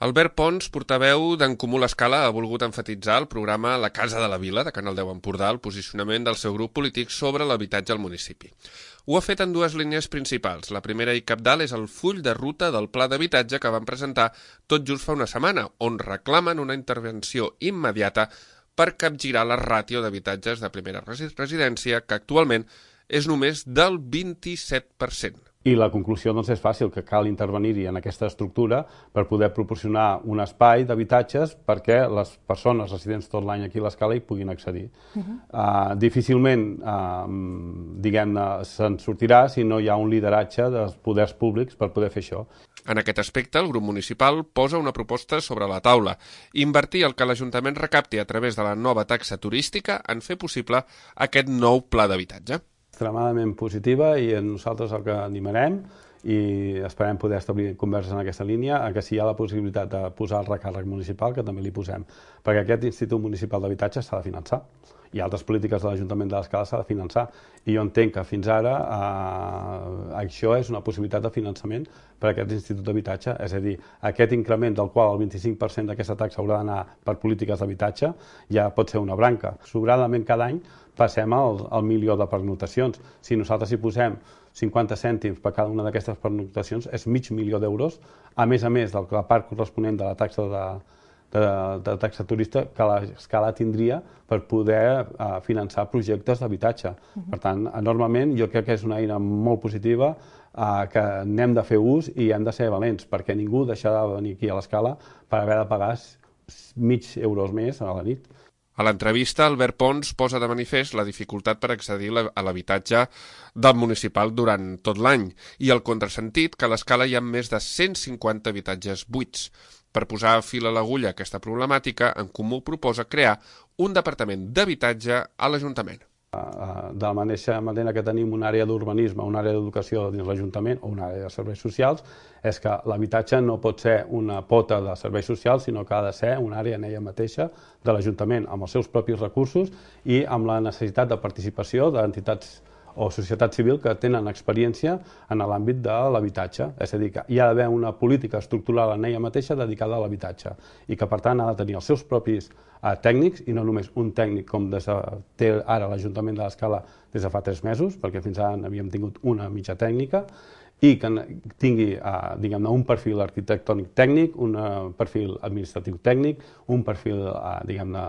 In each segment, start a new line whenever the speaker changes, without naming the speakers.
Albert Pons, portaveu d'En Comú l'Escala, ha volgut emfatitzar al programa La Casa de la Vila, de Canal 10 Empordà, el posicionament del seu grup polític sobre l'habitatge al municipi. Ho ha fet en dues línies principals. La primera i cabdal és el full de ruta del pla d'habitatge que van presentar tot just fa una setmana, on reclamen una intervenció immediata per capgirar la ràtio d'habitatges de primera residència, que actualment és només del 27%.
I la conclusió és fàcil, que cal intervenir-hi en aquesta estructura per poder proporcionar un espai d'habitatges perquè les persones residents tot l'any aquí a l'Escala hi puguin accedir. Difícilment, diguem-ne, se'n sortirà si no hi ha un lideratge dels poders públics per poder fer això.
En aquest aspecte, el grup municipal posa una proposta sobre la taula: invertir el que l'Ajuntament recapti a través de la nova taxa turística en fer possible aquest nou pla d'habitatge.
Extremadament positiva, i nosaltres el que animarem i esperem poder establir converses en aquesta línia, que si hi ha la possibilitat de posar el recàrrec municipal, que també li posem, perquè aquest Institut Municipal d'Habitatge s'ha de finançar i altres polítiques de l'Ajuntament de l'Escala s'ha de finançar, i jo entenc que fins ara això és una possibilitat de finançament per a aquest Institut d'Habitatge, és a dir, aquest increment del qual el 25% d'aquesta taxa haurà d'anar per polítiques d'habitatge ja pot ser una branca. Sobradament cada any passem al 1.000.000 de pernoctacions. Si nosaltres hi posem 50 cèntims per cada una d'aquestes pernoctacions, és $500.000 d'euros, a més del que la part corresponent de la taxa de taxa turista que l'Escala tindria per poder finançar projectes d'habitatge. Per tant, enormement, jo crec que és una eina molt positiva que n'hem de fer ús i hem de ser valents, perquè ningú deixarà de venir aquí a l'Escala per haver de pagar €5 més a la nit.
A l'entrevista, Albert Pons posa de manifest la dificultat per accedir a l'habitatge del municipal durant tot l'any i el contrasentit que a l'Escala hi ha més de 150 habitatges buits. Per posar fil a l'agulla a aquesta problemàtica, En Comú proposa crear un departament d'habitatge a l'Ajuntament.
De la mateixa manera que tenim una àrea d'urbanisme, una àrea d'educació dins l'Ajuntament o una àrea de serveis socials, és que l'habitatge no pot ser una pota de serveis socials, sinó que ha de ser una àrea en ella mateixa de l'Ajuntament, amb els seus propis recursos i amb la necessitat de participació d'entitats o societat civil que tenen experiència en l'àmbit de l'habitatge. És a dir, que hi ha d'haver una política estructural en ella mateixa dedicada a l'habitatge i que, per tant, ha de tenir els seus propis tècnics, i no només un tècnic com té ara l'Ajuntament de l'Escala des de fa 3 mesos, perquè fins ara havíem tingut una mitja tècnica, i que tingui, diguem-ne, un perfil arquitectònic tècnic, un perfil administratiu tècnic, un perfil, diguem-ne,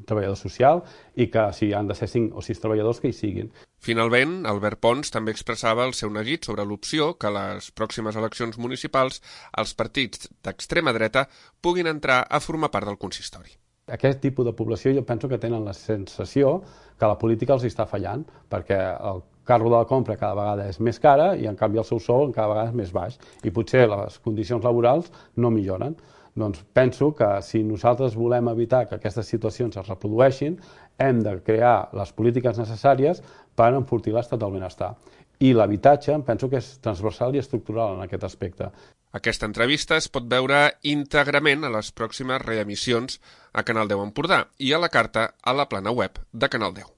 treballador social, i que si han de ser 5 o 6 treballadors, que hi siguin.
Finalment, Albert Pons també expressava el seu neguit sobre l'opció que a les pròximes eleccions municipals els partits d'extrema dreta puguin entrar a formar part del consistori.
Aquest tipus de població jo penso que tenen la sensació que la política els està fallant, perquè el carro de la compra cada vegada és més cara i en canvi el seu sou cada vegada és més baix i potser les condicions laborals no milloren. Doncs penso que si nosaltres volem evitar que aquestes situacions es reprodueixin, hem de crear les polítiques necessàries per enfortir l'estat del benestar. I l'habitatge penso que és transversal i estructural en aquest aspecte.
Aquesta entrevista es pot veure íntegrament a les pròximes reemissions a Canal 10 Empordà i a la carta a la plana web de Canal 10.